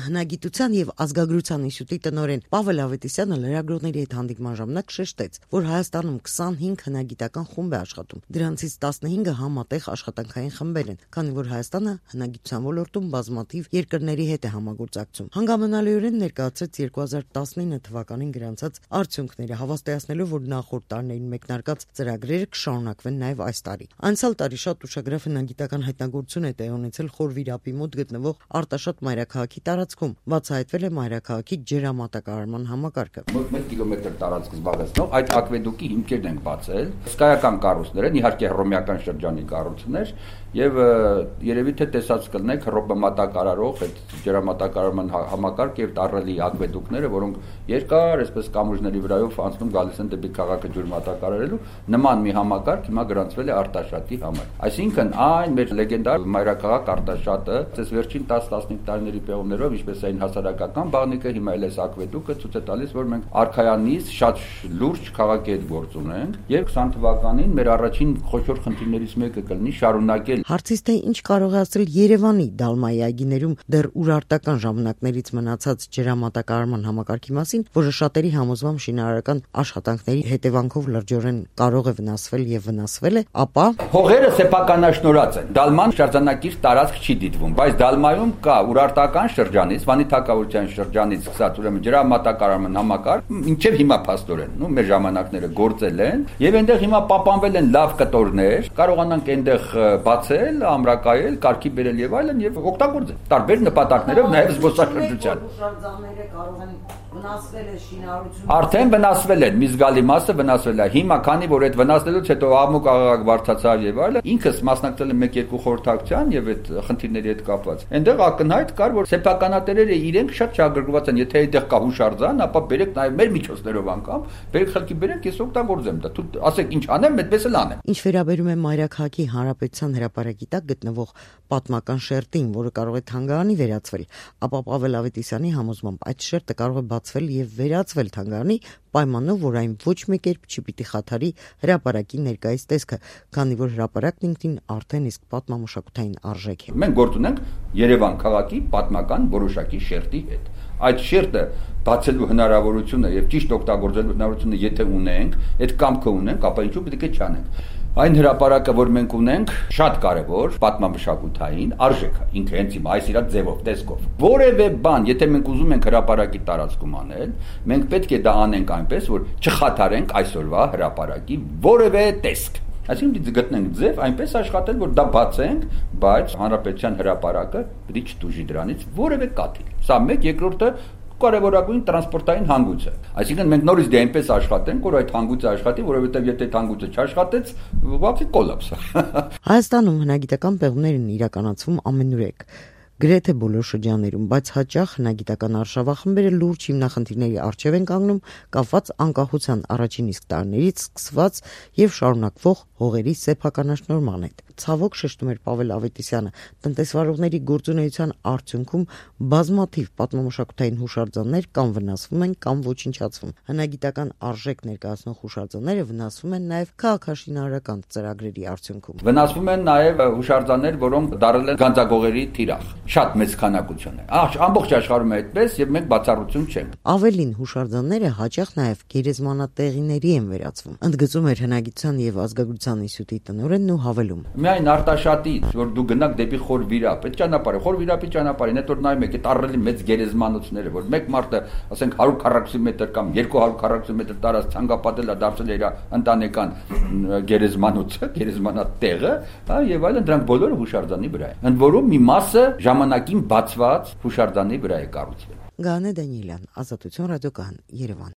Հնագիտության եւ ազգագրության ինստիտուտի տնօրեն Պավել Ավետիսյանը լրագրողների հետ հանդիպման ժամանակ շեշտեց, որ Հայաստանում 25 հնագիտական խումբ է աշխատում, դրանցից 15-ը համատեղ աշխատանքային խմբեր են, քանի որ Հայաստանը հնագիտության ոլորտում բազմաթիվ երկրների հետ է համագործակցում։ Հանգամանալիորեն ներկայացրեց 2019 թվականին գրանցած արդյունքները, հավաստիացնելով, որ նախորդ տարիներին մեկնարկած ծրագրերը կշարունակվեն նաեւ այս տարի։ Անցյալ տարի շատ ուշագրավ հնագիտական հայտնագործություն է տեղի ունեցել Խորվիրապի մոտ գտնվող Արտաշատ մայրաքաղաքի տարածքում, բացահայտվել է մայրաքաղաքի ջրամատակարարման համակարգը։ 1 կիլոմետր տարածք զբաղեցնող այդ ակվեդուկի հիմքերն են բացել, հսկայական կառույցներ են, իհարկե հռոմեական շրջանի կառույցներ, եւ երևի թե տեսած կլնեք հռոմեամատակարարող այդ ջրամատակարարման համակարգ եւ տառելի ակվեդուկները, որոնք երկար այսպես կամուրջների վրայով անցնում գալիս են դեպի քաղաքը ջրմատակարարելու, նման մի համակարգ հիմա գրանցվել է Արտաշատի համար։ Այսինքն այն մեր լեգենդար մայրաքաղաք Արտաշատը, այս վերջին 10-15 տարիների պեղումներով, ինչպես այն հասարակական բաղնիկը, հիմա էլ էս ակվեդուկը ցույց է տալիս, որ մենք արքայանից շատ լուրջ քաղաքի հետ գործ ունենք, եւ 20 թվականին մեր առաջին խոշոր խնդիրներից մեկը կլինի շարունակել։ Հարցից թե ինչ կարող է ասել Երևանի Դալմայի այգիներում դեռ urարտական ժամանակներից մնացած ջրամատակարարման համակարգի մասին, որը շատերի համոզմամբ շինարարական աշխատանքների հետևանքով լրջորեն կարող է վնասվել եւ վնասվել է, ապա հողերը սեփականաշնորհած են։ Դալման շրջանակիր տարածք չի դիտվում, բայց Դալմայում կա urարտական շրջանից, Վանի թագավորության շրջանից սկսած ուրեմն ջրամատակարարման համակարգ, ինչեւ հիմա փաստորեն, մեր ժամանակները գործել են, եւ այնտեղ հիմա պահպանվել են լավ կտորներ, կարողանանք այնտեղ բացել, ամրակայել, կարգի բերել եւ այլն եւ օգտագործել տարբեր նպատակներով նաեւ զբոսաշրջության։ Հուշարձանները կարող են վնասվել է շինարարությունը։ Արդեն վնասվել են, մի զգալի մասը վնասվել է։ Հիմա քանի որ այդ վնասվելուց հետո Աղմուկ աղաղակ բարձրացավ եւ այլն, ինքս մասնակցել եմ 1-2 խորհրդակցության եւ այդ խնդիրների հետ կապված։ Այնտեղ ակնհայտ կար, որ սեփականատերերը իրենք շատ շահագրգռված են, եթե այդտեղ կա հուշարձան, ապա բերեք նաեւ մեր միջոցներով անգամ, բերեք խելքի բերեք, ես օգտագործեմ դա։ Դու ասեք ինչ անեմ, այդպես էլ անեմ։ Ինչ վերաբերում է Մայրաքաղաքի Հանրապետության հրապարակի տակ գտնվող պատմական շերտին, որը կարող է թանգարանի վերածվել, ապա Պավել Ավետիսյանի համոզմամբ այդ շերտը կարող է բացվել եւ վերածվել թանգարանի պայմանով, որ այն ոչ մի կերպ չպիտի խաթարի հրապարակի ներկայիս տեսքը, քանի որ հրապարակն ինքնին արդեն իսկ պատմամշակութային արժեք է։ Մենք գործ ունենք Երևան քաղաքի պատմական որոշակի շերտի հետ։ Այդ շերտը բացելու հնարավորությունը եւ ճիշտ օգտագործելու հնարավորությունը եթե ունենք, այդ կամքը ունենք, ապա ինչու պետք է չանենք։ Այն հրապարակը, որ մենք ունենք, շատ կարևոր պատմամշակութային արժեք է, ինքը հենց հիմա այս իր ձևով, տեսքով։ Որևէ բան, եթե մենք ուզում ենք հրապարակի տարածքում անել, մենք պետք է դա անենք այնպես, որ չխաթարենք այսօրվա հրապարակի որևէ տեսք։ Այսինքն դու գտնենք ձև այնպես աշխատել, որ դա բացենք, բայց հանրապետության հրապարակը պետք է չտուժի դրանից որևէ կաթիլ։ Սա մեկ, երկրորդը կարևորագույն տրանսպորտային հանգույց է։ Այսինքն մենք նորից դե այնպես աշխատենք, որ այդ հանգույցը աշխատի, որովհետև եթե այդ հանգույցը չաշխատեց, ուղղակի կոլապս է։ Հայաստանում հնագիտական պեղումներ են իրականացվում ամենուրեք, գրեթե բոլոր շրջաններում, բայց հաճախ հնագիտական արշավախմբերը լուրջ հիմնախնդիրների առջև են կանգնում, կապված անկախության առաջին իսկ տարիներից սկսված եւ շարունակվող հողերի սեփականաշնորհման հետ։ Ցավոք շեշտում էր Պավել Ավետիսյանը, տնտեսվարողների գործունեության արդյունքում բազմաթիվ պատմամշակութային հուշարձաններ կամ վնասվում են կամ ոչնչացվում։ Հնագիտական արժեք ներկայացնող հուշարձանները վնասվում են նաեւ քաղաքաշինարարական ծրագրերի արդյունքում։ Վնասվում են նաեւ հուշարձաններ, որոնք դարել են գանձագողերի թիրախ։ Շատ մեծ քանակություն է։ Ամբողջ աշխարհում է այդպես եւ մենք բացառություն չենք։ Ավելին հուշարձանները հաճախ նաեւ գերեզմանատեղիների են վերածվում։ Ընդգծում էր հնագիտության եւ ազգագրության ինստիտուտի տնօրենն ու հավելում. Միայն Արտաշատից, որ դու գնաք դեպի Խորվիրապ, այդ ճանապարհը, Խորվիրապի ճանապարհին, այդ որ նայում եք, այդ առելի մեծ գերեզմանոցները, որ մեկ մարդը, ասենք 140 մետր կամ 240 մետր տարած ցանկապատել է դարձել իր ընտանեկան գերեզմանոցը, գերեզմանատեղը, եւ այլն, դրանք բոլորը հուշարձանի վրա են։ Ընդ որում մի մասը ժամանակին բացված հուշարձանի վրա է կառուցվել։ Գանե Դանիելյան, Ազատություն ռադիոկայան, Երևան։